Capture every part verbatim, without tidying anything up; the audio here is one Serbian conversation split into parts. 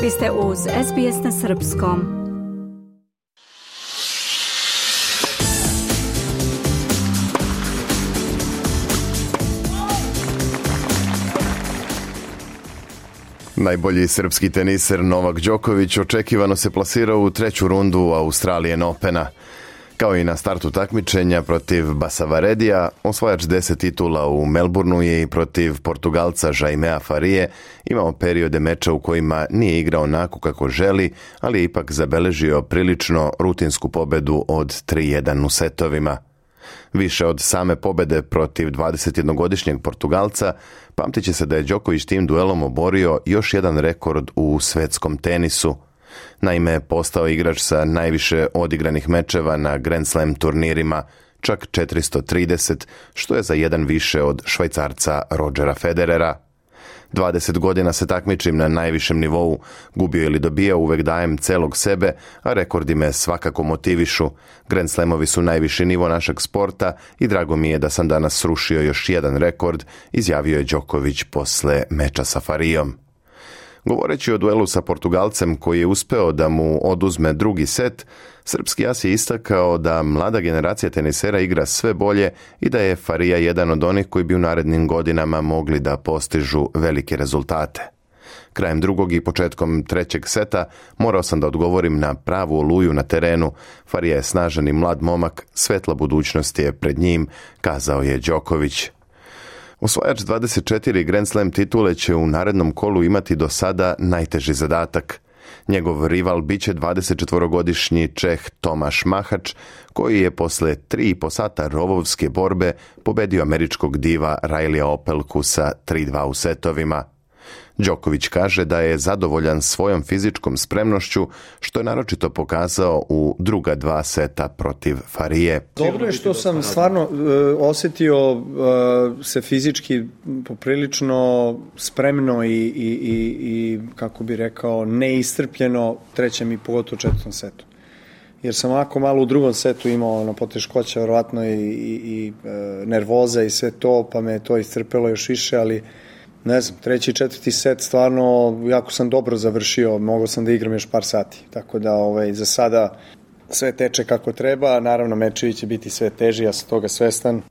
Vi ste uz S B S na srpskom. Najbolji srpski teniser Novak Đoković očekivano se plasirao u treću rundu Australian Opena. Kao i na startu takmičenja protiv Basavaredija, osvajač deset titula u Melbourneu je i protiv Portugalca Jaimea Farije imao periode meča u kojima nije igrao onako kako želi, ali je ipak zabeležio prilično rutinsku pobedu od tri jedan u setovima. Više od same pobede protiv dvadesetjednogodišnjeg Portugalca, pamtit će se da je Đoković tim duelom oborio još jedan rekord u svetskom tenisu. Naime, postao igrač sa najviše odigranih mečeva na Grand Slam turnirima, čak četiristo trideset, što je za jedan više od Švajcarca Rodgera Federera. dvadeset godina se takmičim na najvišem nivou, gubio ili dobijao uvek dajem celog sebe, a rekordi me svakako motivišu. Grand Slamovi su najviši nivo našeg sporta i drago mi je da sam danas srušio još jedan rekord, izjavio je Đoković posle meča sa Farijom. Govoreći o duelu sa Portugalcem koji je uspeo da mu oduzme drugi set, srpski as je istakao da mlada generacija tenisera igra sve bolje i da je Farija jedan od onih koji bi u narednim godinama mogli da postižu velike rezultate. Krajem drugog i početkom trećeg seta morao sam da odgovorim na pravu oluju na terenu. Farija je snažan i mlad momak, svetla budućnost je pred njim, kazao je Đoković. Osvajač dvadeset četiri Grand Slam titule će u narednom kolu imati do sada najteži zadatak. Njegov rival biće dvadesetčetvorogodišnji Čeh Tomaš Mahač, koji je posle tri i po sata rovovske borbe pobedio američkog diva Raileya Opelku sa tri dva u setovima. Đoković kaže da je zadovoljan svojom fizičkom spremnošću, što je naročito pokazao u druga dva seta protiv Farije. Dobro je što sam stvarno uh, osjetio uh, se fizički poprilično spremno i, i, i, i kako bi rekao, neiscrpljeno u trećem i pogotovo četvrtom setu. Jer sam ovako malo u drugom setu imao ono, poteškoća, verovatno i, i, i uh, nervoza i sve to, pa me to iscrpelo još više, ali ne znam, treći i četvrti set stvarno jako sam dobro završio, mogao sam da igram još par sati, tako da ovaj, za sada sve teče kako treba, naravno mečevi će biti sve teži, ja sam toga svestan.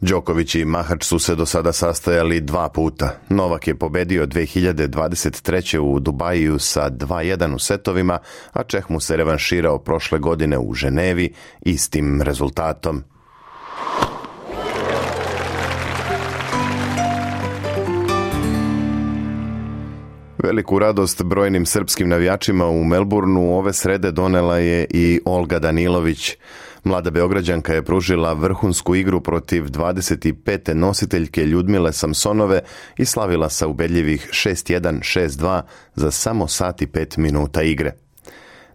Đoković i Mahač su se do sada sastajali dva puta. Novak je pobedio dve hiljade dvadeset treće u Dubaju sa dva jedan u setovima, a Čeh mu se revanširao prošle godine u Ženevi istim rezultatom. Veliku radost brojnim srpskim navijačima u Melbourneu ove srede donela je i Olga Danilović. Mlada Beograđanka je pružila vrhunsku igru protiv dvadeset pete nositeljke Ljudmile Samsonove i slavila sa ubedljivih šest jedan šest dva za samo sat i pet minuta igre.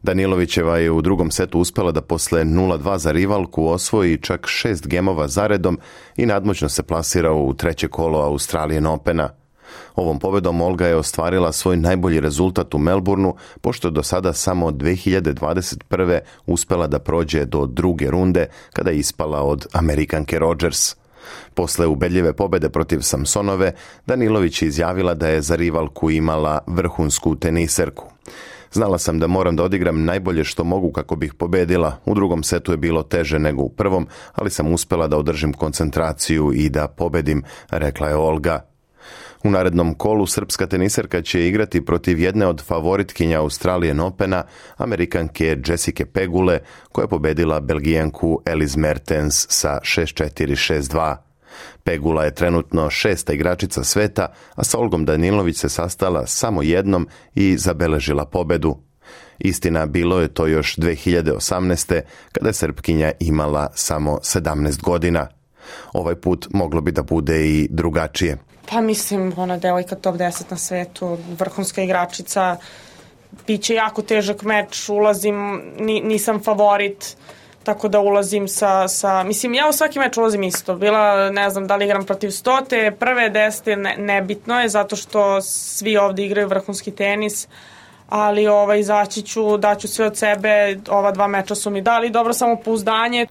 Danilovićeva je u drugom setu uspela da posle nula dva za rivalku osvoji čak šest gemova zaredom i nadmoćno se plasira u treće kolo Australian Opena. Ovom pobedom Olga je ostvarila svoj najbolji rezultat u Melbourneu, pošto je do sada samo dve hiljade dvadeset prve uspela da prođe do druge runde, kada je ispala od Amerikanke Rodgers. Posle ubedljive pobede protiv Samsonove, Danilović je izjavila da je za rivalku imala vrhunsku teniserku. Znala sam da moram da odigram najbolje što mogu kako bih pobedila. U drugom setu je bilo teže nego u prvom, ali sam uspela da održim koncentraciju i da pobedim, rekla je Olga. U narednom kolu srpska teniserka će igrati protiv jedne od favoritkinja Australian Opena, Amerikanke Jessica Pegule, koja je pobedila Belgijanku Elise Mertens sa šest četiri šest dva. Pegula je trenutno šesta igračica sveta, a sa Olgom Danilović se sastala samo jednom i zabeležila pobedu. Istina, bilo je to još dve hiljade osamnaeste. kada je Srpkinja imala samo sedamnaest godina. Ovaj put moglo bi da bude i drugačije. Pa mislim, ona devojka top deset na svetu, vrhunska igračica, biće jako težak meč, ulazim, ni, nisam favorit, tako da ulazim sa, sa, mislim, ja u svaki meč ulazim isto, bila, ne znam, da li igram protiv stote, prve desete, ne, nebitno je, zato što svi ovde igraju vrhunski tenis, ali ovaj, izaći ću, daću sve od sebe, ova dva meča su mi dali dobro samopouzdanje.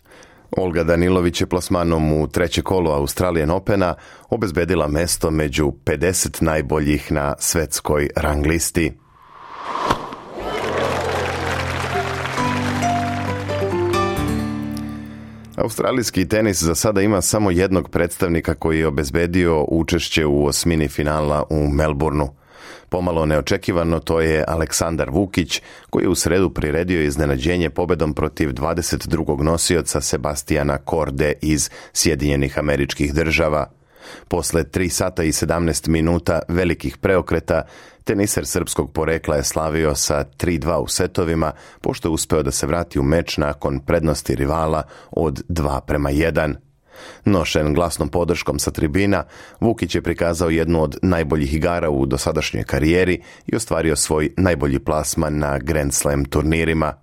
Olga Danilović je plasmanom u treće kolo Australian Opena obezbedila mesto među pedeset najboljih na svetskoj rang listi. Australijski tenis za sada ima samo jednog predstavnika koji je obezbedio učešće u osmini finala u Melbourneu. Pomalo neočekivano to je Aleksandar Vukić, koji je u sredu priredio iznenađenje pobedom protiv dvadeset drugog nosioca Sebastijana Korde iz Sjedinjenih Američkih Država. Posle tri sata i sedamnaest minuta velikih preokreta, teniser srpskog porekla je slavio sa tri dva u setovima, pošto je uspeo da se vrati u meč nakon prednosti rivala od dva prema jedan. Nošen glasnom podrškom sa tribina, Vukić je prikazao jednu od najboljih igara u dosadašnjoj karijeri i ostvario svoj najbolji plasman na Grand Slam turnirima.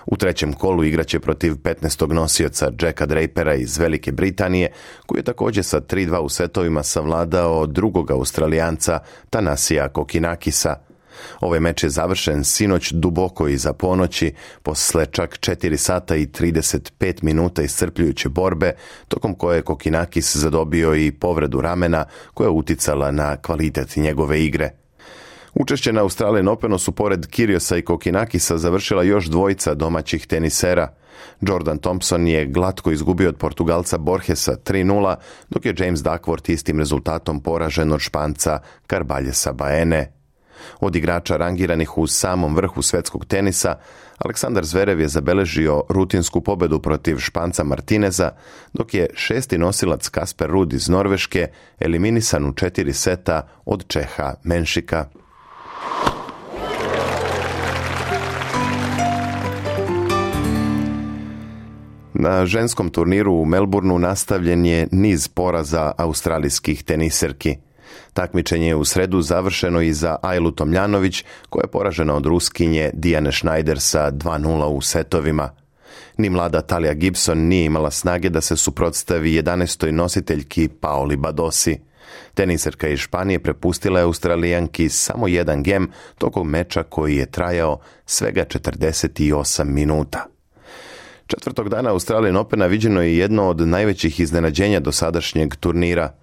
U trećem kolu igraće protiv petnaestog nosioca Jacka Drapera iz Velike Britanije, koji je također sa tri dva u setovima savladao drugog Australijanca Thanasija Kokinakisa. Ovaj meč je završen sinoć duboko iza ponoći, posle čak četiri sata i trideset pet minuta iscrpljujuće borbe, tokom koje je Kokinakis zadobio i povredu ramena koja je uticala na kvalitet njegove igre. Učešće na Australian Openu su pored Kyrgiosa i Kokinakisa završila još dvojica domaćih tenisera. Jordan Thompson je glatko izgubio od Portugalca Borgesa tri nula, dok je James Duckworth istim rezultatom poražen od Španca Carballesa Baene. Od igrača rangiranih u samom vrhu svetskog tenisa, Aleksandar Zverev je zabeležio rutinsku pobedu protiv Španca Martineza, dok je šesti nosilac Kasper Ruud iz Norveške eliminisan u četiri seta od Čeha Menšika. Na ženskom turniru u Melbourneu nastavljen je niz poraza australijskih teniserki. Takmičenje je u sredu završeno i za Ajlu Tomljanović, koja je poražena od Ruskinje Dijane Schneider sa dva nula u setovima. Ni mlada Talija Gibson nije imala snage da se suprotstavi jedanaestoj nositeljki Paoli Badosi. Teniserka iz Španije prepustila je Australijanki samo jedan gem tokom meča koji je trajao svega četrdeset osam minuta. Četvrtog dana Australian Opena viđeno je jedno od najvećih iznenađenja dosadašnjeg turnira.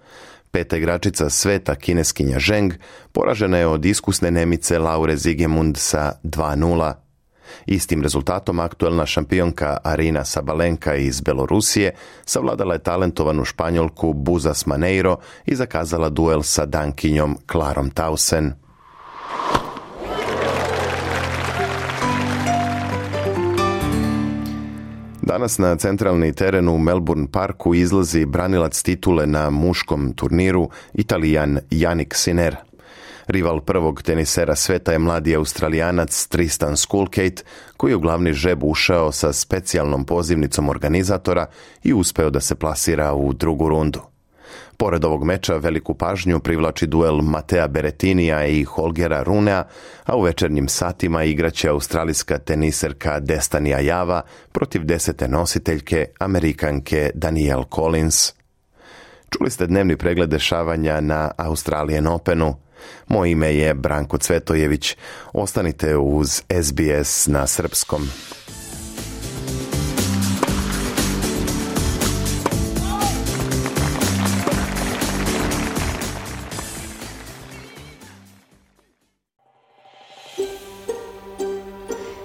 Peta igračica sveta, kineskinja Zheng, poražena je od iskusne Nemice Laure Zigemund sa dva nula. Istim rezultatom aktuelna šampionka Arina Sabalenka iz Belorusije savladala je talentovanu Španjolku Buzas Maneiro i zakazala duel sa Dankinjom Klarom Tausen. Danas na centralni teren u Melbourne Parku izlazi branilac titule na muškom turniru, Italijan Jannik Sinner. Rival prvog tenisera sveta je mladi Australijanac Tristan Skulkate, koji je u glavni žreb ušao sa specijalnom pozivnicom organizatora i uspeo da se plasira u drugu rundu. Pored ovog meča veliku pažnju privlači duel Matea Berettinija i Holgera Runea, a u večernjim satima igraće australijska teniserka Destiny Ajava protiv desete nositeljke, Amerikanke Danielle Collins. Čuli ste dnevni pregled dešavanja na Australian Openu. Moje ime je Branko Cvetojević. Ostanite uz S B S na srpskom.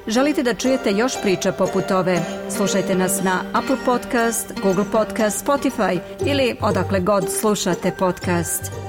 Želite da čujete još priča poput ove? Slušajte nas na Apple Podcast, Google Podcast, Spotify ili odakle god slušate podcast.